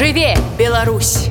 Жыве, Беларусь!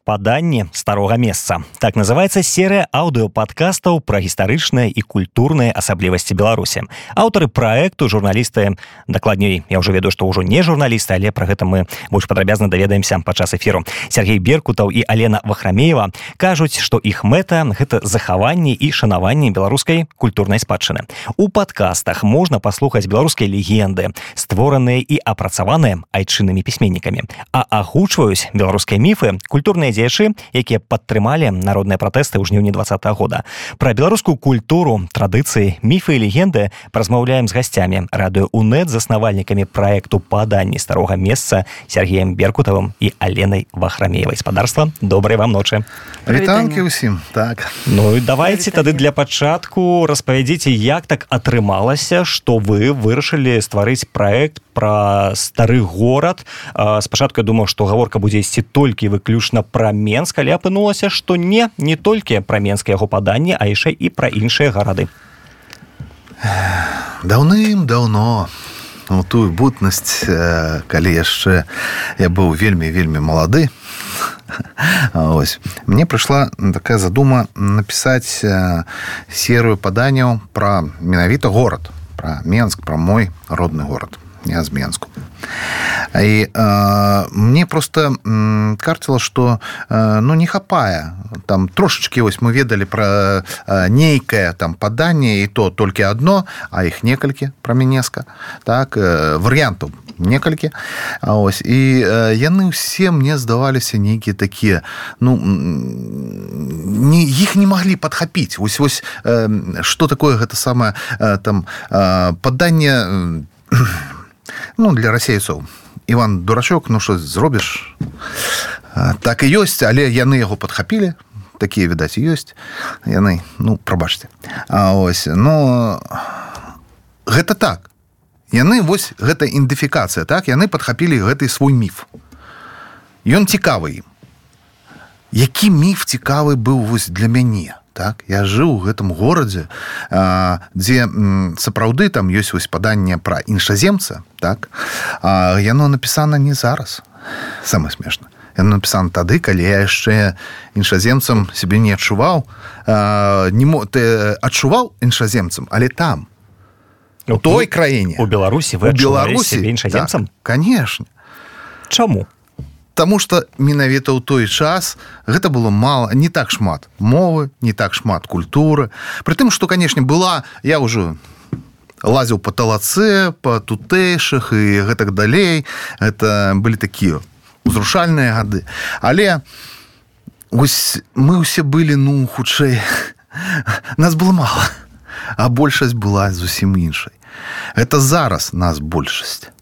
Паданне старога месца. Так называецца серыя аўдыёпадкастаў пра гістарычныя і культурныя асаблівасці Беларусі. Аўтары праекту, журналісты, дакладней, я ўжо ведаю, што ўжо не журналісты, але пра гэта мы больш падрабязна даведаемся падчас эфіру. Сергей Беркутаў і Алена Вахрамеева кажуць, што іх мэта – гэта захаванне і шанаванне беларускай культурнай спадчыны. У падкастах можна паслухаць беларускія легенды, створаныя і апрацаваныя айчыннымі пісьменнікамі, а агучваюць беларускія міфы, культурныя дзеячы, якія падтрымалі народныя пратэсты ў жніўні 2020 года. Пра беларускую культуру, традыцыі, міфы і легенды паразмаўляем з гасцямі радыё УНЭТ, заснавальнікамі праекту «Паданне старога месца» Сергеем Беркутавым і Аленай Вахрамеевай. Спадарства, добрай вам ночы. Вітанкі ўсім. Так. Ну і давайце тады для пачатку распавядзіце, як так атрымалася, што вы вырашылі стварыць праект пра стары горад. Спачатку я думаў, што гаворка будзе ісці толькі выключна пра Менск, але апынулася, што не толькі пра Менск яго паданне, а яшчэ і пра іншыя гарады. Даўным-даўно, у тую бутнасць, калі яшчэ я быў вельмі малады, мне прыйшла такая задума напісаць серыю паданняў пра менавіта горад, пра Менск, пра мой родны горад. Я з Менску. І мне просто карціла, што не хапае. Там трошачкі мы ведалі пра нейкае там паданне, і то толькі адно, а іх некалькі пра Менеска. Так, варыянтаў некалькі. І яны ўсе мне здаваліся нейкія такія, іх не маглі падхапіць. Вось што такое гэта самае там паданне для расейцаў. Іван Дурачок, што зробіш? Так і ёсць, але яны яго падхапілі. Такія, відаць, і ёсць. Яны, прабачце. Гэта так. Яны, гэта ідэнтыфікацыя, так? Яны падхапілі гэты свой міф. Ён цікавы ім. Які міф цікавы быў для мяне? Так, я жыў у гэтым горадзе, дзе сапраўды там ёсць паданне пра іншаземца, так? Яно напісана не зараз. Самае смешна. Яно напісана тады, калі я яшчэ іншаземцам сябе не адчуваў. Ты адчуваў іншаземцам, але там, у той краіне. У Беларусі вы адчувалі сябе іншаземцам? Так, канешне. Чаму? Таму што менавіта ў той час гэта было мала, не так шмат мовы, не так шмат культуры. Пры тым, што, канешне, я ўжо лазіў па талацэ, па тутэйшых і гэтак далей. Гэта былі такія узрушальныя гады. Але мы ўсе былі, хутчэй, нас было мала, а большасць была зусім іншай. Гэта зараз нас большасць.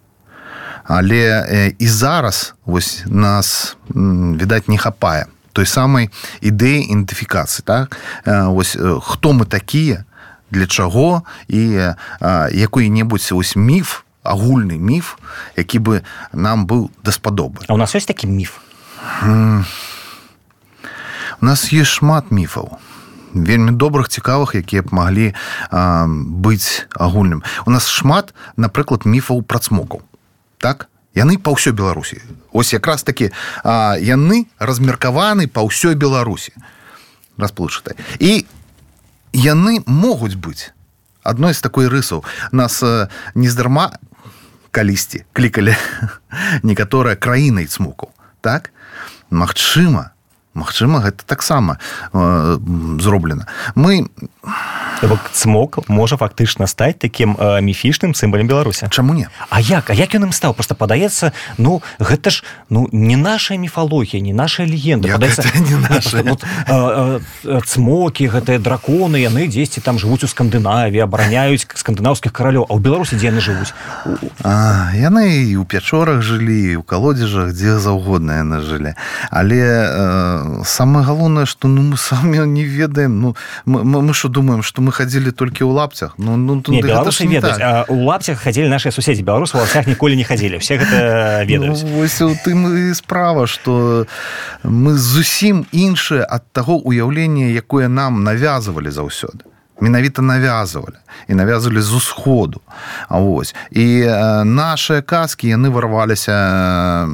Але і зараз нас, відаць, не хапае той самай ідэі ідэнтыфікацыі. Так? Хто мы такія, для чаго і якой-небудзь міф, агульны міф, які бы нам быў даспадобы. А у нас ёсць такі міф? У нас ёсць шмат міфаў. Вельмі добрых, цікавых, якія б маглі быць агульным. У нас шмат, напрыклад, міфаў пра цмокаў. Так? Яны па ўсёй Беларусі. Якраз такі яны размеркаваны па ўсёй Беларусі. Расплыўчатыя. І яны могуць быць адной з такой рысаў. Нас нездарма калісьці клікалі некаторыя краінай цмокаў. Так? Магчыма, гэта таксама зроблена. Цмок можа фактычна стаць такім міфічным сімвалам Беларусі. Чаму не? А як ён ім стаў? Просто падаецца, гэта ж не наша міфалогія, не наша легенда. Гэта не наша. Цмокі, гэтыя драконы, яны дзесьці там жывуць у Скандынавіі, абараняюць скандынаўскіх каралёў. А ў Беларусі дзе яны жывуць? Яны і ў пячорах жылі, і ў калодзежах, дзе заўгодна яны жылі. Але самае галоўнае, што мы самі не ведаем. Мы што думаем, што мы хадзілі толькі ў лапцях? Не, беларусы ведаюць. У лапцях хадзілі нашыя суседзі. Беларусы ў лапцях ніколі не хадзілі. Усе гэта ведаюць. Вось у тым і справа, што мы зусім іншыя ад таго ўяўлення, якое нам навязвалі заўсёды. менавіта навязывалі і навязывалі з усходу. Вось. І нашыя казкі яны вырваліся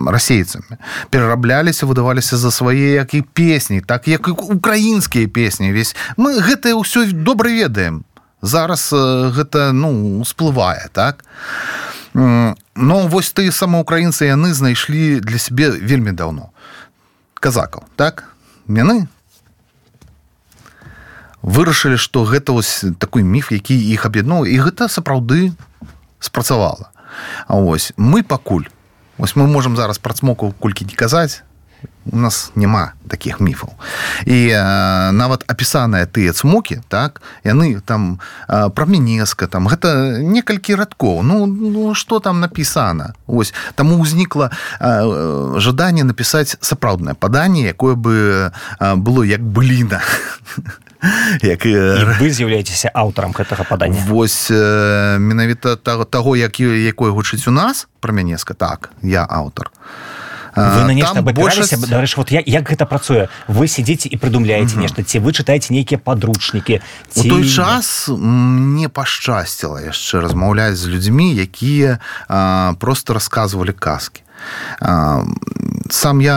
расейцамі, перарабляліся, выдаваліся за свае як і песні, так як і украінскія песні. Мы гэта ўсё добра ведаем. Зараз гэта усплывае, так? Но вось тыя самаўкраінцы яны знайшлі для сябе вельмі даўно казакаў, так? Яны вырашылі, што гэта вось такой міф, які іх аб'ядноўвае, і гэта сапраўды спрацавала. А вось мы пакуль, вось мы можам зараз пра цмоку колькі не казаць, у нас няма такіх міфаў. І нават апісаныя тыя цмокі, так, яны там пра Менеска, там гэта некалькі радкоў. Што там напісана? Вось, таму ўзнікла жаданне напісаць сапраўднае паданне, якое бы было як быліна. І вы з'яўляецеся аўтарам гэтага падання. Вось менавіта таго, якое гучыць у нас пра Менеска, так, я аўтар. Вы на нешта абапіраліся? Дарэчы, вот як гэта працуе? Вы сядзіце і прыдумляеце нешта, ці вы чытаеце нейкія падручнікі? У той час мне пашчасціла яшчэ размаўляць з людзьмі, якія проста расказвалі казкі. Сам я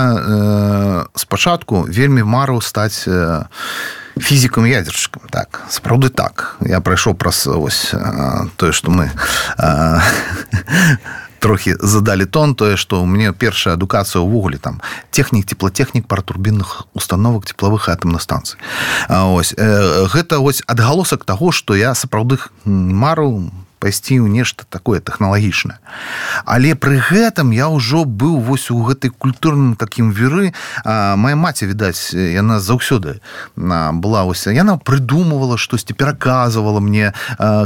спачатку вельмі марыў стаць фізікам-ядзершчыкам. Так, сапраўды так. Я прайшоў праз ось тое, што мы трохі задалі тон, тое, што ў мяне першая адукацыя ўвогуле там тэхнік, теплатэхнік паратурбінных установак цеплавых і атамных станцый. Ось гэта ось адгалосак таго, што я сапраўды марыў пайсці ў нешта такое тэхналагічнае. Але пры гэтым я ўжо быў вось у гэтай культурным такім віры. Мая маці, відаць, яна заўсёды была вось, яна прыдумывала штосьці, пераказвала мне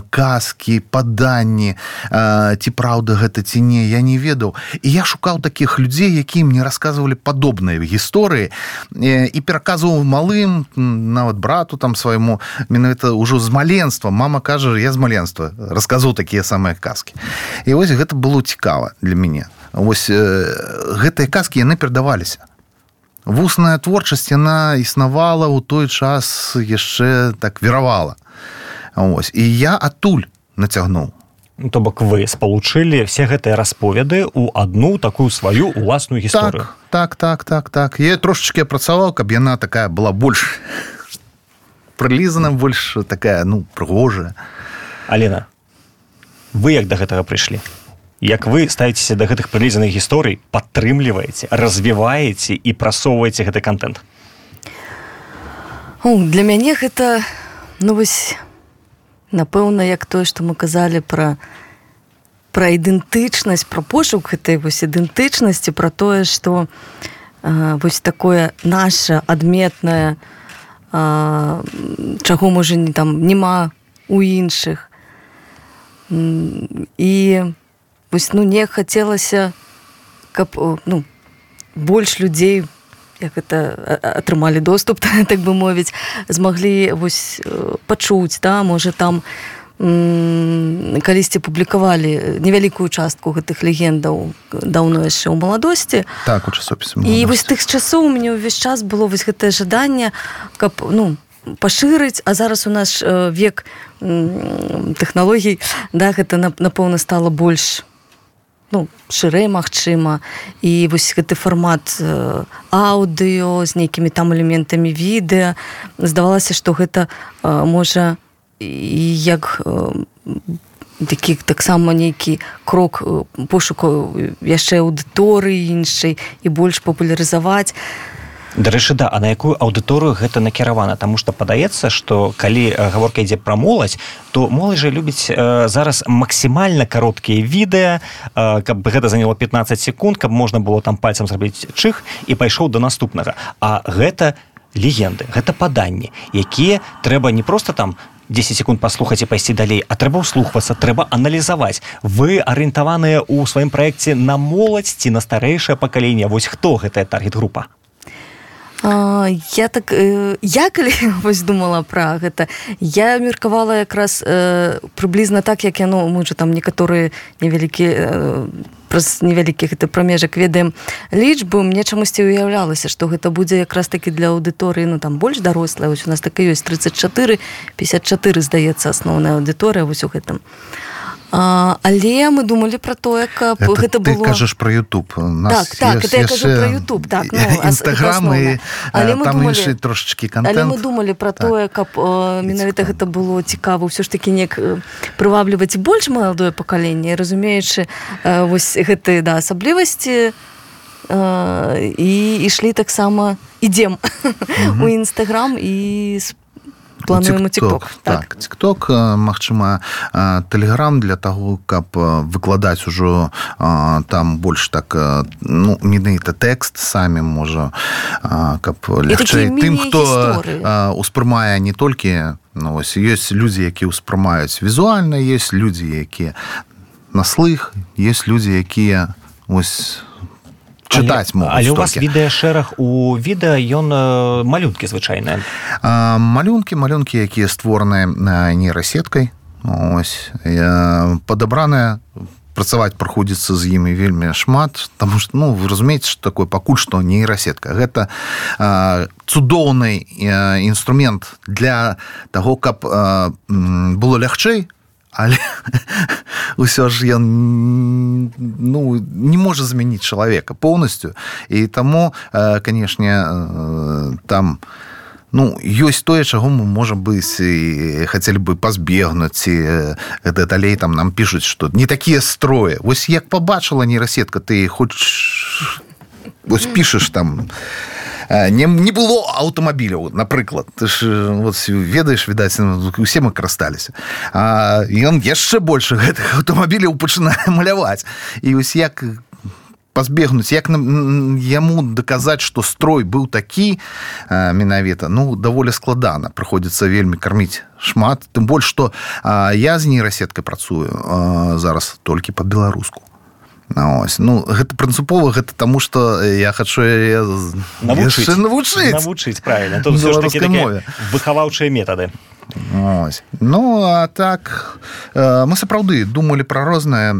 казкі, паданні, ці праўда гэта, ці не, я не ведаў. І я шукаў такіх людзей, якія мне расказвалі падобныя гісторыі і пераказваў малым, нават брату там свайму, менавіта ўжо з маленства. Мама кажа, я з маленства расказваў такія самыя казкі. І вось гэта было цікава для мяне. Вось гэтыя казкі, яны перадаваліся. Вусная творчасць, яна існавала ў той час, яшчэ так віравала. Вось. І я адтуль нацягнуў. То бок вы спалучылі все гэтыя расповеды ў адну такую сваю уласную гісторыю. Так. Я трошечки працаваў, каб яна такая была больш прылізана, больш такая, прыгожая. Алена, вы як да гэтага прыйшлі? Як вы ставіцеся да гэтых прылізаных гісторый, падтрымліваеце, развіваеце і прасоўваеце гэты контент? Для мяне гэта, вось, напэўна, як тое, што мы казалі пра ідэнтычнасць, пра пошук гэтай вось ідэнтычнасці, пра тое, што вось такое наша адметнае, чаго, можа, няма у іншых. І вось, не хацелася, каб больш людзей, як это атрымалі доступ, так бы мовіць, змаглі вось пачуць, можа там калісьці публікавалі невялікую частку гэтых легендаў даўно яшчэ ў маладосці. Так, у часопісе маладосці. І вось тых часоў у мяне ўвесь час было вось гэтае жаданне, каб, пашырыць, а зараз у нас век тэхналогій, гэта, напэўна, стала больш шырэй, магчыма. І вось гэты фармат аўдыё з нейкімі там элементамі відэа. Здавалася, што гэта можа як такі таксама нейкі крок пошуку яшчэ аўдыторыі іншай і больш папулярызаваць. Дарэчы, да, а на якую аўдыторыю гэта накіравана? Таму што падаецца, што калі гаворка ідзе пра моладзь, то моладзь жа любіць зараз максімальна кароткія відэа, каб гэта заняло 15 секунд, каб можна было там пальцам зрабіць чых і пайшоў да наступнага. А гэта легенды, гэта паданні, якія трэба не проста там 10 секунд паслухаць і пайсці далей, а трэба ўслухвацца, трэба аналізаваць. Вы арыентаваныя ў сваім праекце на моладзь ці на старэйшае пакаленне? Вось хто гэтая таргет-група? Я калі вось думала пра гэта, я меркавала якраз прыблізна так, як яно, мы ж там некаторыя невялікія праз невялікі гэты прамежак ведаем лічбы, мне чамусьці уяўлялася, што гэта будзе якраз такі для аўдыторыі, ну там больш дарослая, вось у нас так і ёсць 34, 54, здаецца, асноўная аўдыторыя вось у гэтым. Але мы думалі пра тое, каб гэта было... Ты кажаш пра YouTube. Так, это я кажу пра YouTube. Інстаграм, і там іншы трошачкі контент. Але мы думалі пра тое, каб менавіта гэта было цікава, ўсё ж такі неяк прывабліваць больш маладое пакаленне, разумеючы вось гэтыя асаблівасці, і ішлі таксама, ідзем у Інстаграм і плануем у TikTok. Так, TikTok, магчыма, Telegram для таго, каб выкладаць ужо там больш так, ну, менавіта тэкст самі, можа, каб лягчэй тым, хто успрымае не толькі, ну, вось, ёсць людзі, якія ўспрымаюць візуальна, ёсць людзі, якія на слых, ёсць людзі, якія, вось, чытаць могуць. Але у вас відэашэраг у відэа, ён малюнкі звычайныя. Малюнкі, якія створаныя нейрасеткай. Ось. Падабраныя, працаваць прыходзіцца з імі вельмі шмат, таму што, ну, вы разумееце, што такое пакуль што нейрасетка. Гэта цудоўны інструмент для таго, каб было лягчэй, але ўсё ж ён, ну, не можа замяніць чалавека поўнасцю, і таму, канешне, там, ну, ёсць тое, чаго мы, можа быць, і хацелі бы пазбегнуць, і далей там нам пішуць, што не такія строі. Вось як пабачыла нейрасетка, ты хочаш, вось пішаш там, не было аўтамабіляў, напрыклад. Ты ж вот, ведаеш, відаць, усе мы карысталіся. Ён яшчэ больш гэтых аўтамабіляў пачынае маляваць. І вось як пазбегнуць, як яму даказаць, што строй быў такі менавіта, ну, даволі складана. Прыходзіцца вельмі карміць шмат. Тым больш, што я з нейрасеткай працую зараз толькі па-беларуску. Ось. Ну, гэта прынцыпова, гэта таму, што я хачу навучыць, правильно. Тут все ж такі такія выхаваўчыя метады. Ось. Ну, а так, мы сапраўды думалі пра розныя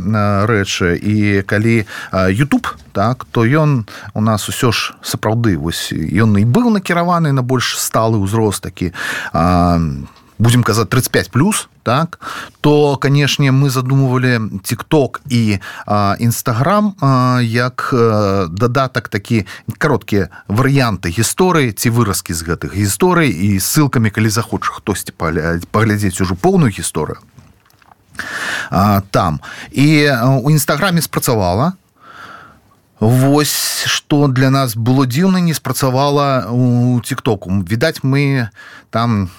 рэчы, і калі YouTube, так, то ён у нас усё ж сапраўды, вось, ён і быў накіраваны на больш сталы ўзрост такі, будем казаць, 35+, так, то, канешне, мы задумывалі TikTok і Instagram як дадатак такі кароткія варыянты гісторыі ці выразкі з гэтых гісторый і ссылкамі, калі захоча хтосьці паглядзець ужо поўную гісторыю там. І у Інстаграме спрацавала. Вось, што для нас было дзіўна, не спрацавала у TikTok. Відаць, мы там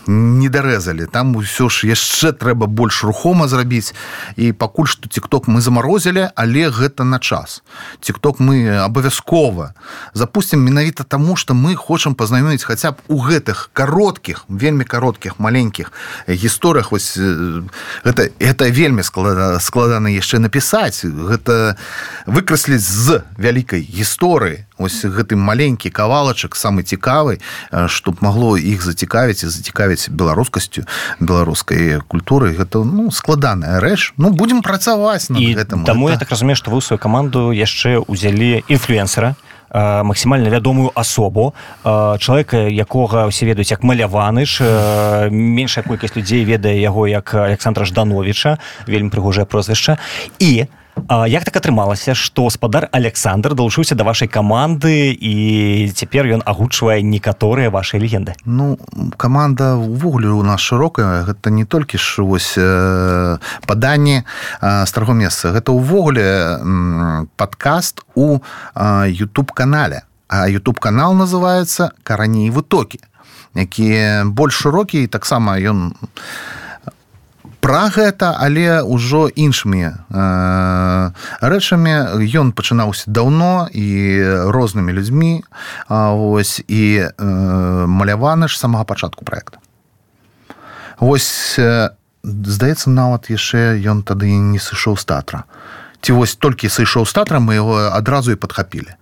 не дарэзалі. Там усё ж яшчэ трэба больш рухома зрабіць. І пакуль што TikTok мы замарозілі, але гэта на час. TikTok мы абавязкова запусцім менавіта таму, што мы хочам пазнаёміць хаця б у гэтых кароткіх, вельмі кароткіх, маленькіх гісторыях. Вось гэта вельмі складана яшчэ напісаць. Гэта выкрасліць з вялікай гісторыі ось гэты маленькі кавалачак, самы цікавы, што б магло іх зацікавіць і зацікавіць беларускасцю, беларускай культуры. Гэта, ну, складаная рэч. Ну, будзем працаваць над гэтым. І таму я так разумею, што вы ў сваю каманду яшчэ ўзялі інфлюэнсера, максімальна вядомую асобу, чалавека, якога ўсе ведаюць як Маляваныч, меншая колькасць людзей ведае яго як Александра Ждановіча, вельмі прыгожае прозвішча. І як так атрымалася, што спадар Александр далучыўся да вашай каманды і цяпер ён агучвае некаторыя вашыя легенды? Ну, каманда ўвогуле у нас шырокая. Гэта не толькі ж вось паданні старого месца. Гэта ўвогуле падкаст у YouTube-канале. А YouTube-канал называецца «Карані і вытокі», які больш шырокі, і таксама ён пра гэта, але ўжо іншымі рэчамі. Ён пачынаўся даўно і рознымі людзьмі, ось, і Маляваны ж з самага пачатку праекта. Вось, здаецца, нават яшчэ ён тады не сышоў з тэатра. Ці вось толькі сышоў з тэатра, мы яго адразу і падхапілі.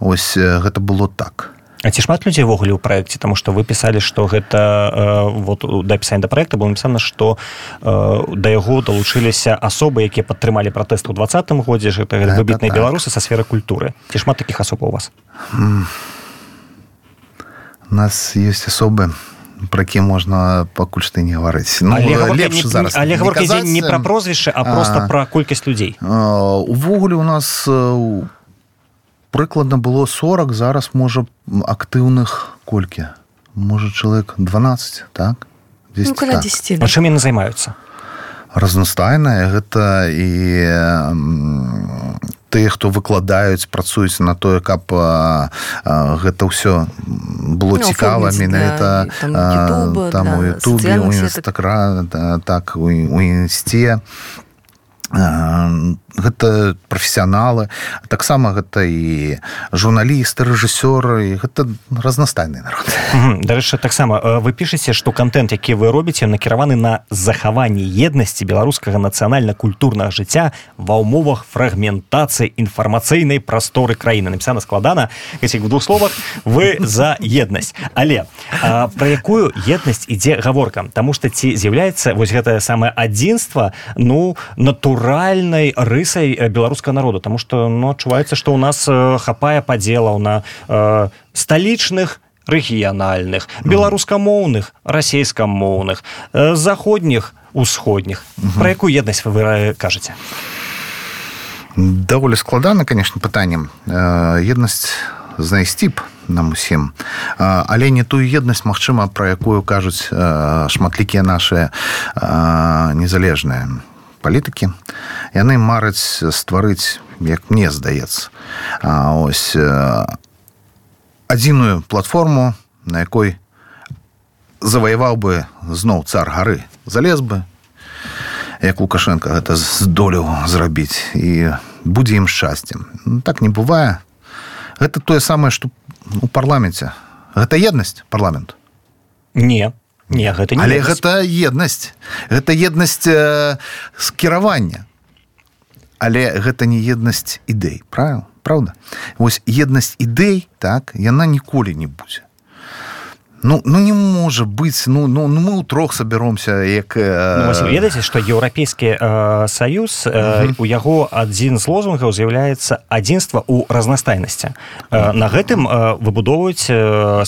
Ось, гэта было так. А ці шмат людзей ўвогуле ў праекце, таму што вы пісалі, што гэта вот да апісання да праекта было напісана, што да яго далучыліся асобы, якія падтрымалі пратэсты ў 2020 годзе, гэта выбітныя беларусы са сферы культуры. Ці шмат такіх асоб у вас? У нас ёсць асобы, про які можна пакуль што не гаварыць. Ну, лепш зараз. Але гаворка ідзе не пра прозвішчы, а проста пра колькасць людзей. Увогуле у нас прыкладна было 40, зараз можа актыўных колькі? Можа чалавек 12, так? Ну, каля 10. А чым яны займаюцца? Разнастайнае, гэта і тыя, хто выкладаюць, працуюць на тое, каб гэта ўсё было цікава, менавіта там у Ютубе, у Інстаграме, так, у Інсце. Гэта прафесіяналы, таксама гэта і журналісты, рэжысёры, гэта разнастайны народ. Дарэчы, таксама вы пішаце, што кантэнт, які вы робіце, накіраваны на захаванне еднасці беларускага нацыянальна-культурнага жыцця ва ўмовах фрагментацыі інфармацыйнай прасторы краіны. Напісана складана, в двух словах, вы за еднасць. Але пра якую еднасць ідзе гаворка? Таму што ці з'яўляецца вось гэтае самае адзінства, ну, натуральнай рысай беларускага народу, таму што адчуваецца, што ў нас хапае падзелаў на сталічных, рэгіянальных, беларускамоўных, расейскамоўных, заходніх, усходніх. Пра якую еднасць вы кажаце? Даволі складана, конечно, пытанне. Еднасць знайсці б нам усім. Але не тую еднасць, магчыма, пра якую кажуць шматлікія нашыя незалежныя палітыкі. Яны мараць стварыць, як мне здаецца, ось адзіную платформу, на якой заваяваў бы зноў цар гары. Залез бы, як Лукашенко гэта здолеў зрабіць, і будзе ім шчасцем. Так не бывае. Гэта тое самае, што у парламенце. Гэта еднасць парламенту? Не, гэта не але еднасць. Гэта еднасць. Гэта еднасць скіравання. Але гэта не еднасць ідэй, правда? Вось еднасць ідэй, так, яна ніколі не будзе. Ну не можа быць, мы ўтрох сабяромся, як... Вы ведаеце, што Еўрапейскі Саюз, у яго адзін з лозунгаў з'яўляецца адзінства ў разнастайнасці. На гэтым выбудоўваюць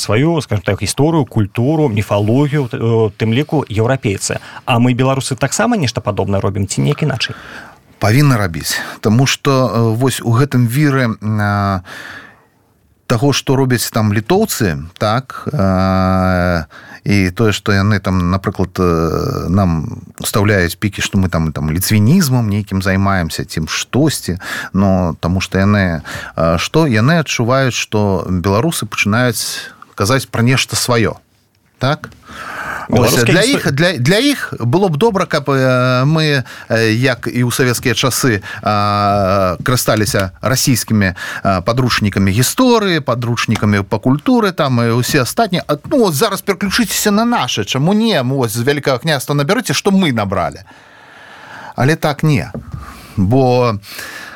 сваю, скажем так, гісторыю, культуру, міфалогію, тым ліку еўрапейцы. А мы, беларусы, таксама нешта падобнае робім, ці неяк іначай? Павінна рабіць, таму што вось у гэтым віры таго, што робяць там літоўцы, так, і тое, што яны там, напрыклад, нам устаўляюць пікі, што мы там ліцвінізмам нейкім займаемся, цім штосьці, но таму што яны адчуваюць, што беларусы пачынаюць казаць пра нешта сваё, так? Ось, для іх было б добра, каб мы, як і ў савецкія часы, карысталіся расійскімі падручнікамі гісторыі, падручнікамі па культуры, там і ўсе астатнія. Ну, зараз пераключыцеся на нашы, чаму не? Ось, з Вялікага княства набярыце, што мы набралі. Але так не. Бо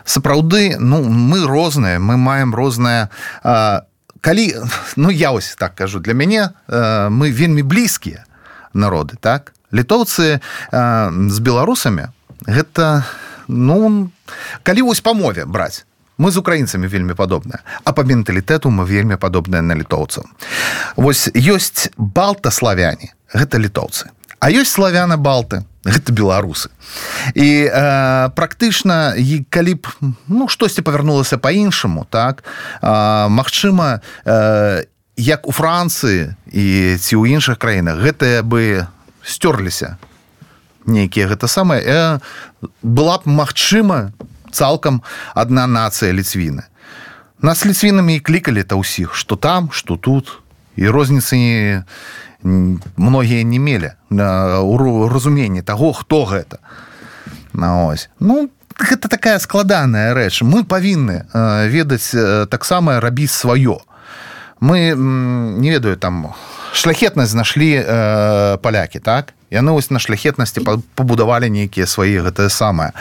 сапраўды, мы розныя, мы маем рознае... Калі, я ось так кажу, для мяне мы вельмі блізкія народы, так? Літоўцы з беларусамі, гэта, калі вось па мове браць, мы з украінцамі вельмі падобныя, а па менталітэту мы вельмі падобныя на літоўцаў. Вось ёсць балтаславяне, гэта літоўцы, а ёсць славяна-балты, гэта беларусы. І практычна, калі б, штосьці павярнулася па-іншаму, так, магчыма, як у Францыі і ці ў іншых краінах, гэтыя бы сцёрліся нейкія гэта самае, была б магчыма цалкам адна нацыя ліцвіны. Нас ліцвінамі і клікалі-то ўсіх, што там, што тут, і розніцы многія не мелі у разуменні таго, хто гэта. Гэта такая складаная рэч. Мы павінны ведаць таксама рабіць сваё. Мы, не ведаю, там, шляхетнасць знайшлі палякі, так? Яны ось на шляхетнасці пабудавалі нейкія свае гэтае самае.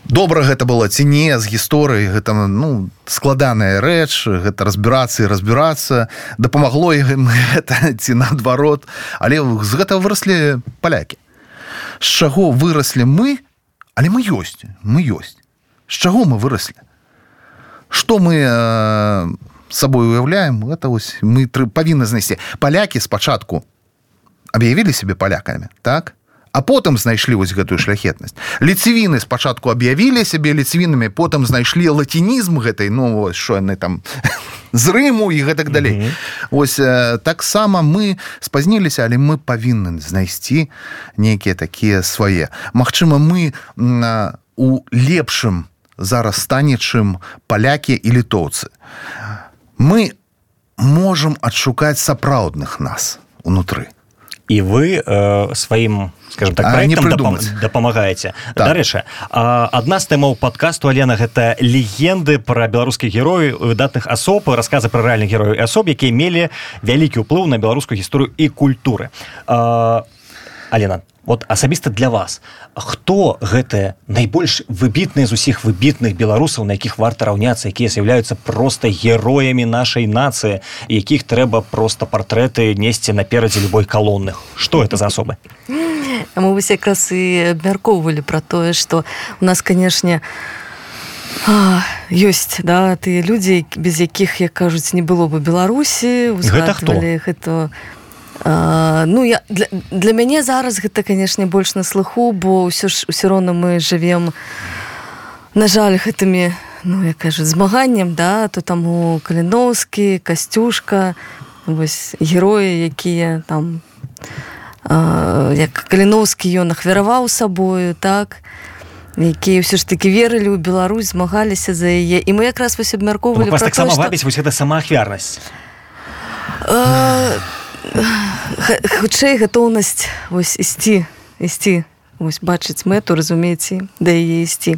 добра гэта было ці не з гісторыі, гэта складаная рэч, гэта разбірацца і разбірацца, дапамагло ім гэта ці наадварот, але з гэтага выраслі палякі. З чаго выраслі мы, але мы ёсць. З чаго мы выраслі? Што мы сабой уяўляем, гэта вось мы павінны знайсці. Палякі спачатку аб'явілі сябе палякамі, так? А потым знайшлі вось гэтую шляхетнасць. Ліцвіны спачатку аб'явілі сябе ліцвінамі, потым знайшлі лацінізм гэтай, што яны там з Рыму і гэтак далей. Вось таксама мы спазніліся, але мы павінны знайсці нейкія такія свае. Магчыма, мы у лепшым зараз стане, чым палякі і літоўцы. Мы можам адшукаць сапраўдных нас унутры. І вы сваім, скажем так, праектам дапамагаеце. Так. Дарэчы, адна з тэмаў падкасту, Алена, гэта легенды пра беларускіх герояў, выдатных асоб, расказы пра рэальных герояў і асоб, якія мелі вялікі ўплыў на беларускую гісторыю і культуры. Алена, вот асабіста для вас, хто гэтыя найбольш выбітныя з усіх выбітных беларусаў, на якіх варта раўняцца, якія з'яўляюцца проста героямі нашай нацыі, якіх трэба проста партрэты несці наперадзе любой калонны? Што гэта за асобы? Мы вось якраз і абмяркоўвалі пра тое, што у нас, канешне, ёсць, да, тыя людзі, без якіх, як кажуць, не было бы Беларусі. Гэта хто? Гэта... для мяне зараз гэта, канешне, больш на слыху, бо ўсё роўна мы жывем, на жаль, гэтымі, як кажуць, змаганнем, да, то там у Каліноўскі, Касцюшка, вось героі, якія там, як Каліноўскі ён ахвяраваў сабою, так, якія ўсё ж такі верылі ў Беларусь, змагаліся за яе, і мы якраз вось абмяркоўвалі пра тое, што... Вас таксама вабіць вось гэта самаахвярнасць? Хутчэй гатоўнасць вось ісці, вось бачыць мэту, разумееце, да яе ісці.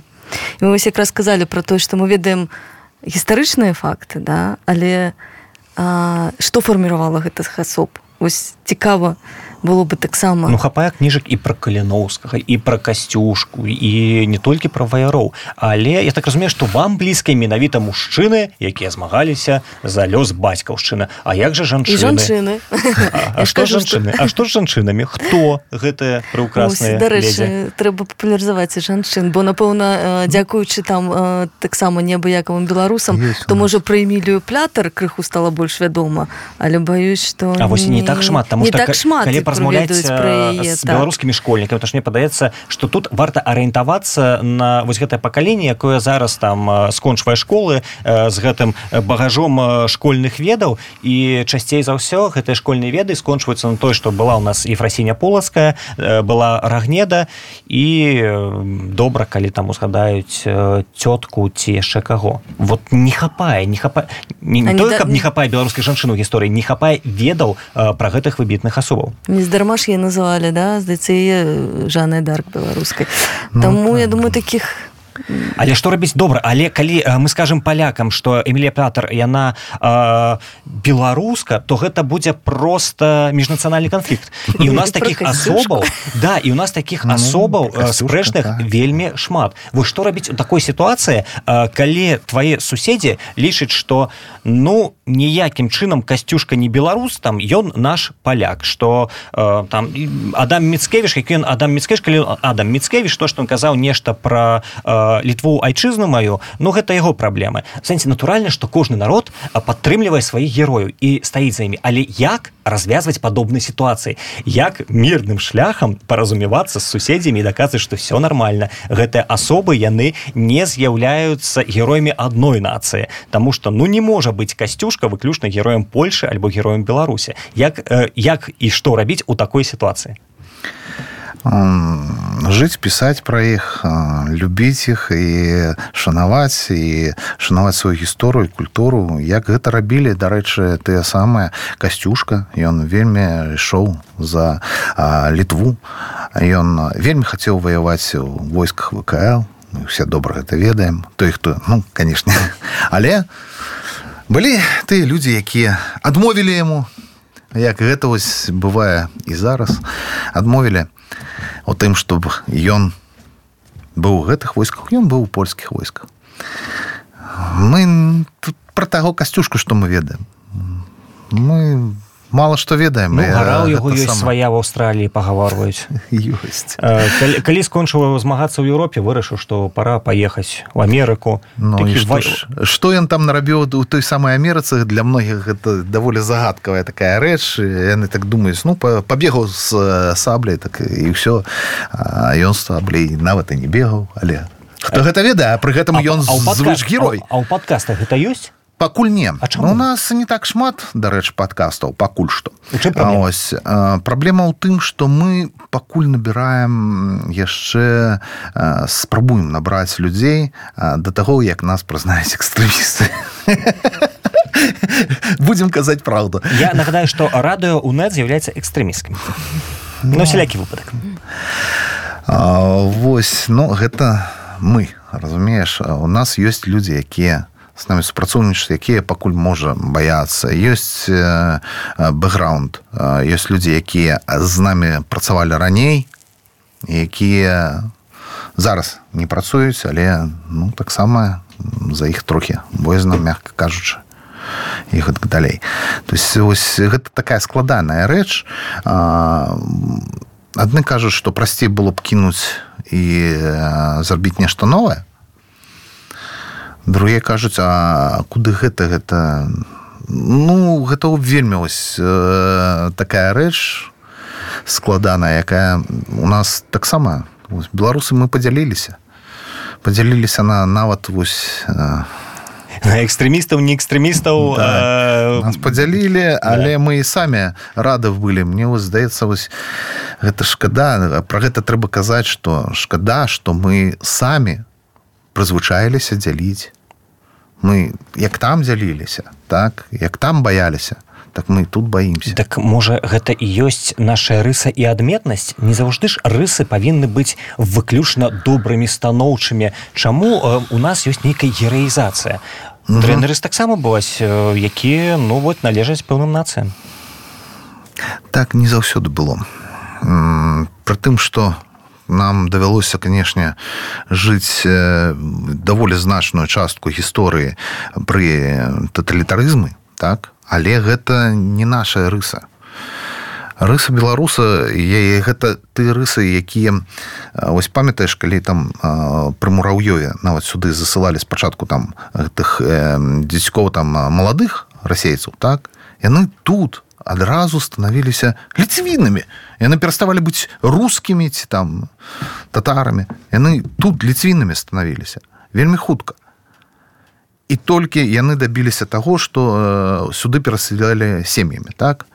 І мы вось якраз казалі пра тое, што мы ведаем гістарычныя факты, да, але што фарміравала гэтых асоб? Вось цікава было бы таксама... Хапае кніжак і пра Каліноўскага, і пра Касцюшку, і не толькі пра ваяроў. Але я так разумею, што вам блізкія менавіта мужчыны, якія змагаліся за лёс бацькаўшчыны. А як жа жанчыны? І жанчыны. А што з жанчыны? А што з жанчынамі? Хто гэтыя прыўкрасныя ледзі? Дарэчы, трэба папулярызаваць і жанчын, бо, напэўна, дзякуючы там таксама неабыякавым беларусам, то, можа, пра Эмілію Плятар крыху стала больш вядома, але баюсь, што... А вось не так шмат, таму што калі размаўляць з беларускімі школьнікамі, то ж мне падаецца, што тут варта арыентавацца на вось гэтае пакаленне, якое зараз там скончвае школы з гэтым багажом школьных ведаў, і часцей за ўсё гэтыя школьныя веды скончваюцца на тое, што была ў нас Ефрасіня Полацкая, была Рагнеда, і добра, калі там узгадаюць цётку ці яшчэ каго. Вот не хапае, не тое, каб не хапае беларускай жанчыны ў гісторыі, не хапае ведаў пра гэтых выбітных асобаў. Нездарма ж яе называлі, да, здаецца, яе Жаннай д'Арк беларускай. Таму, я думаю, такіх... Але што рабіць добра? Але калі мы скажам палякам, што Эмілія Плятар, яна беларуска, то гэта будзе проста міжнацыянальны канфлікт. І ў нас такіх асобаў, да, і ў нас такіх асобаў спрэчных вельмі шмат. Вось што рабіць у такой сітуацыі, калі твае суседзі лічаць, што, ніякім чынам Касцюшка не беларус, там, ён наш паляк, што там Адам Міцкевіч, які ён Адам Міцкевіч, калі Адам Міцкевіч, то, што ён казаў нешта пра Літву, айчызну маю, гэта яго праблемы. В сэнсе, натуральна, што кожны народ падтрымлівае сваіх герояў і стаіць за імі. Але як развязваць падобныя сітуацыі? Як мірным шляхам паразумевацца з суседзямі і даказваць, што все нармальна? Гэтыя асобы, яны не з'яўляюцца героямі адной нацыі. Таму што, не можа быць Касцюшка выключна героем Польшы альбо героем Беларусі. Як і што рабіць у такой сітуацыі? Жыць, пісаць пра іх, любіць іх і шанаваць сваю гісторыю і культуру. Як гэта рабілі, дарэчы, тыя самыя Касцюшка, ён вельмі ішоў за Літву, ён вельмі хацеў ваяваць у войсках ВКЛ, мы ўсе добра гэта ведаем, той, хто, канешне, але былі тыя людзі, якія адмовілі яму, як гэта вось бывае і зараз, адмовілі у тым, чтобы ён быў у гэтых войсках, ён быў у польскіх войсках. Мы тут пра таго Касцюшку, што мы ведаем. Мы мала што ведаем. Ну, гара ў яго ёсць свая в Аўстраліі, пагаворваюць. Ёсць. Калі скончыў змагацца ў Еўропе, вырашыў, што пара паехаць у Амерыку. Ну, што ён там нарабіў у той самай Амерыцы, для многіх гэта даволі загадкавая такая рэч. Яны так думаюць, ну, пабегаў з сабляй, так і ўсё. А ён з сабляй нават і не бегаў, але хто гэта ведае, а пры гэтым ён звыш-герой. А ў падкастах гэта ёсць? Пакуль не. А чаму? У нас не так шмат, дарэчы, падкастаў, пакуль што. У чым праблема? Ось, праблема ў тым, што мы пакуль набіраем яшчэ, спрабуем набраць людзей да таго, як нас прызнаюць экстрэмісты. Будзем казаць праўду. Я нагадаю, што радыё УНЭТ з'яўляецца экстрэмісткім. Ну, всялякі выпадак. Вось, ну, гэта мы, разумееш, у нас ёсць людзі, якія з намі супрацоўнічаць, якія пакуль можа баяцца. Ёсць бэкграунд, ёсць людзі, якія з намі працавалі раней, якія зараз не працуюць, але ну, таксама за іх трохі боязна, мякка кажучы, і гэтак далей. То есть ось гэта такая складаная рэч. Адны кажуць, што прасцей было б кінуць і зрабіць нешта новае. Другія кажуць, а куды гэта? Ну, гэта вельмі ось такая рэч складаная, якая у нас таксама, беларусы мы падзяліліся. Падзяліліся на нават вось... На экстрэмістаў, не экстрэмістаў. Да. Нас падзялілі, але мы і самі рады былі. Мне вось здаецца, вось гэта шкада. Пра гэта трэба казаць, што шкада, што мы самі прызвычаіліся дзяліць. Мы як там дзяліліся, так, як там баяліся, так мы тут баімся. Так, можа, гэта і ёсць наша рыса і адметнасць? Не заўжды ж рысы павінны быць выключна добрымі, станоўчымі. Чаму у нас ёсць нейкая гераізацыя? Трэнеры таксама бываюць, якія, ну, вот, належаць пэўным нацыям. Так не заўсёды было. Пры тым, што нам давялося, канешне, жыць даволі значную частку гісторыі пры таталітарызмы, так? Але гэта не наша рыса. Рыса беларуса, гэта ты рысы, якія... Вось памятаеш, калі там пры Мураўёве нават сюды засылалі спачатку там гэтых дзецькоў там маладых расейцаў, так? Яны тут адразу станавіліся ліцвінамі. Яны пераставалі быць рускімі ці там татарамі. Яны тут ліцвінамі станавіліся. Вельмі хутка. І толькі яны дабіліся таго, што сюды перасялялі сем'ямі, так?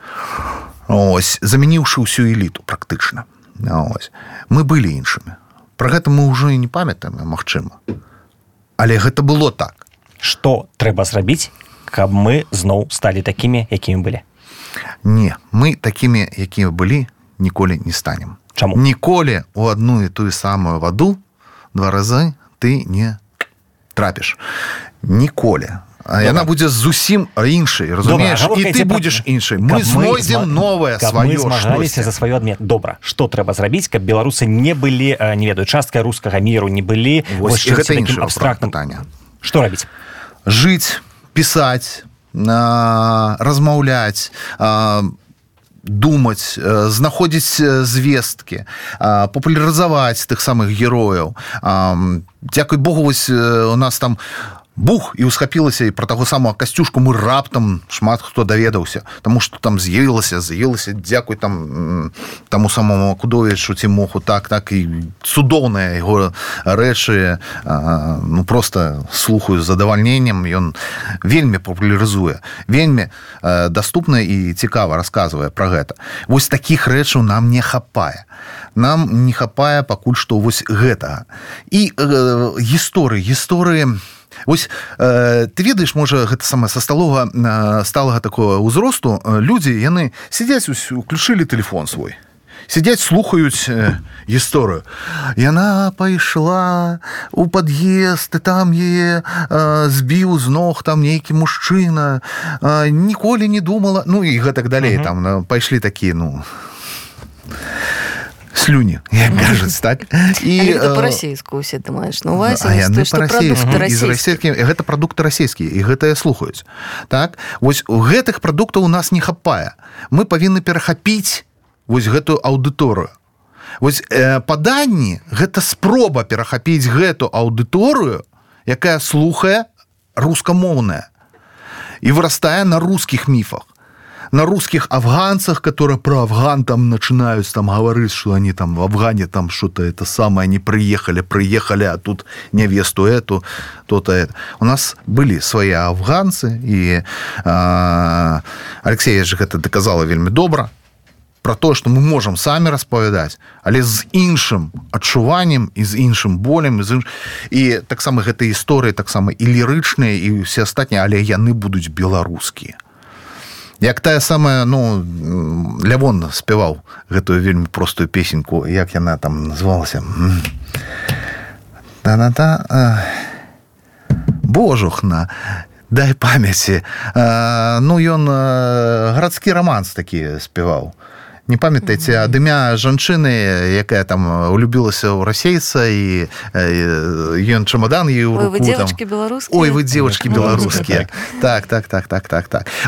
Ось, замяніўшы ўсю эліту практычна. Ось. Мы былі іншымі. Пра гэта мы ўжо і не памятаем, магчыма. Але гэта было так. Што трэба зрабіць, каб мы зноў сталі такімі, якімі былі? Не, мы такімі, якімі былі, ніколі не станем. Чаму? Ніколі у адну і тую самую ваду 2 разы ты не трапіш. Ніколі. А яна будзе зусім іншай, разумееш? І ты будзеш іншай. Мы знойдзем новае сваё. Каб мы змагаліся за сваю адметнасць. Добра, што трэба зрабіць, каб беларусы не былі, не ведаю, часткай рускага міру, не былі вось гэта такім абстрактным пытаннем. Што рабіць? Жыць, пісаць, размаўляць, думаць, знаходзіць звесткі, папулярызаваць тых самых герояў. Дзякуй Богу, вось у нас там бух, і усхапілася, і пра таго самого Касцюшку мы раптам шмат хто даведаўся, таму што там з'явілася, дзякуй там таму самому Кудовічу Цімоху, так, і цудоўныя яго рэчы, ну, просто слухаю з задавальненнем, ён вельмі папулярызуе, вельмі даступна і цікава расказвае пра гэта. Вось такіх рэчаў нам не хапае. Нам не хапае пакуль што вось гэтага. І гісторыі, вось, ты ведаеш, можа, гэта самае са сталага такого ўзросту, людзі, яны сядзяць, уключылі тэлефон свой, сядзяць, слухаюць гісторыю. Яна пайшла у пад'езд, і там яе збіў з ног там нейкі мужчына, ніколі не думала, ну і гэтак далей, там пайшлі такія, ну... слюні, як кажуць, так? І гэта па-расейску ўсе ты маеш на увазе, што прадукты расійскія. Гэта прадукты расійскія, і гэтыя слухаюць. Так? Вось гэтых прадуктаў у нас не хапае. Мы павінны перахапіць вось гэтую аўдыторыю. Вось паданні – гэта спроба перахапіць гэту аўдыторыю, якая слухае рускамоўная і вырастае на рускіх міфах. На русских афганцах, которые про Афган там начинают там говорить, что они там в Афгане там что-то это самое, они приехали, а тут невесту эту, то-то это. У нас были свои афганцы, и Алексей же это доказала вельмі добра, про то, что мы можем сами распавядаць, але з іншым адчуваннем і з іншым болем, і таксама гэтыя гісторыі таксама і лірычныя, і ўсе астатнія, але яны будуць беларускія. Як тая самая, Лявон спяваў гэтую вельмі простую песеньку, як яна там называлася? Божухна, дай памяці. Ён гарадскі раманс такі спяваў. Не памятаеце, ад імя жанчыны, якая там улюбілася ў расейца, і ён чемодан їй у руку. Ой, вы девочки беларускія. Ой, вы девочки беларускія. Так.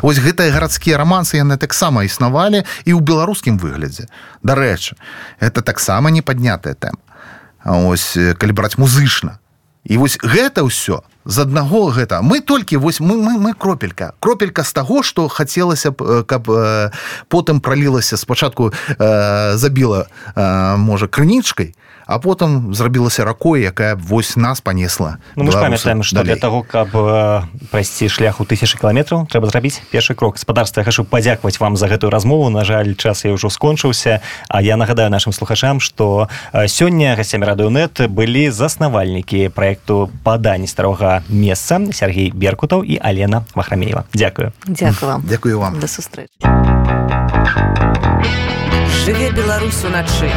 Вось гэтыя гарадскія рамансы, яны таксама існавалі і ў беларускім выглядзе. Дарэчы, гэта таксама не паднятая тэма. Ось, калі браць музычна. І вось гэта ўсё з аднаго гэта. Мы толькі, вось мы кропелька з таго, што хацелася б, каб потым пралілася, спачатку забіла, можа, крынічкай, а потым зрабілася ракой, якая вось нас панесла. Мы ж памятаем, што для таго, каб прайсці шлях у 1000 кіламетраў, трэба зрабіць першы крок. Гаспадарства, я хачу падзякаваць вам за гэтую размову. На жаль, час я ўжо скончыўся. А я нагадаю нашым слухачам, што сёння гасцямі Радыёнет былі заснавальнікі праекту «Падань старога месца» Сергей Беркутаў і Алена Вахрамеева. Дзякую. Дзякую вам. Дзякую вам. До сустрэчы. Жыве Беларусь уначы.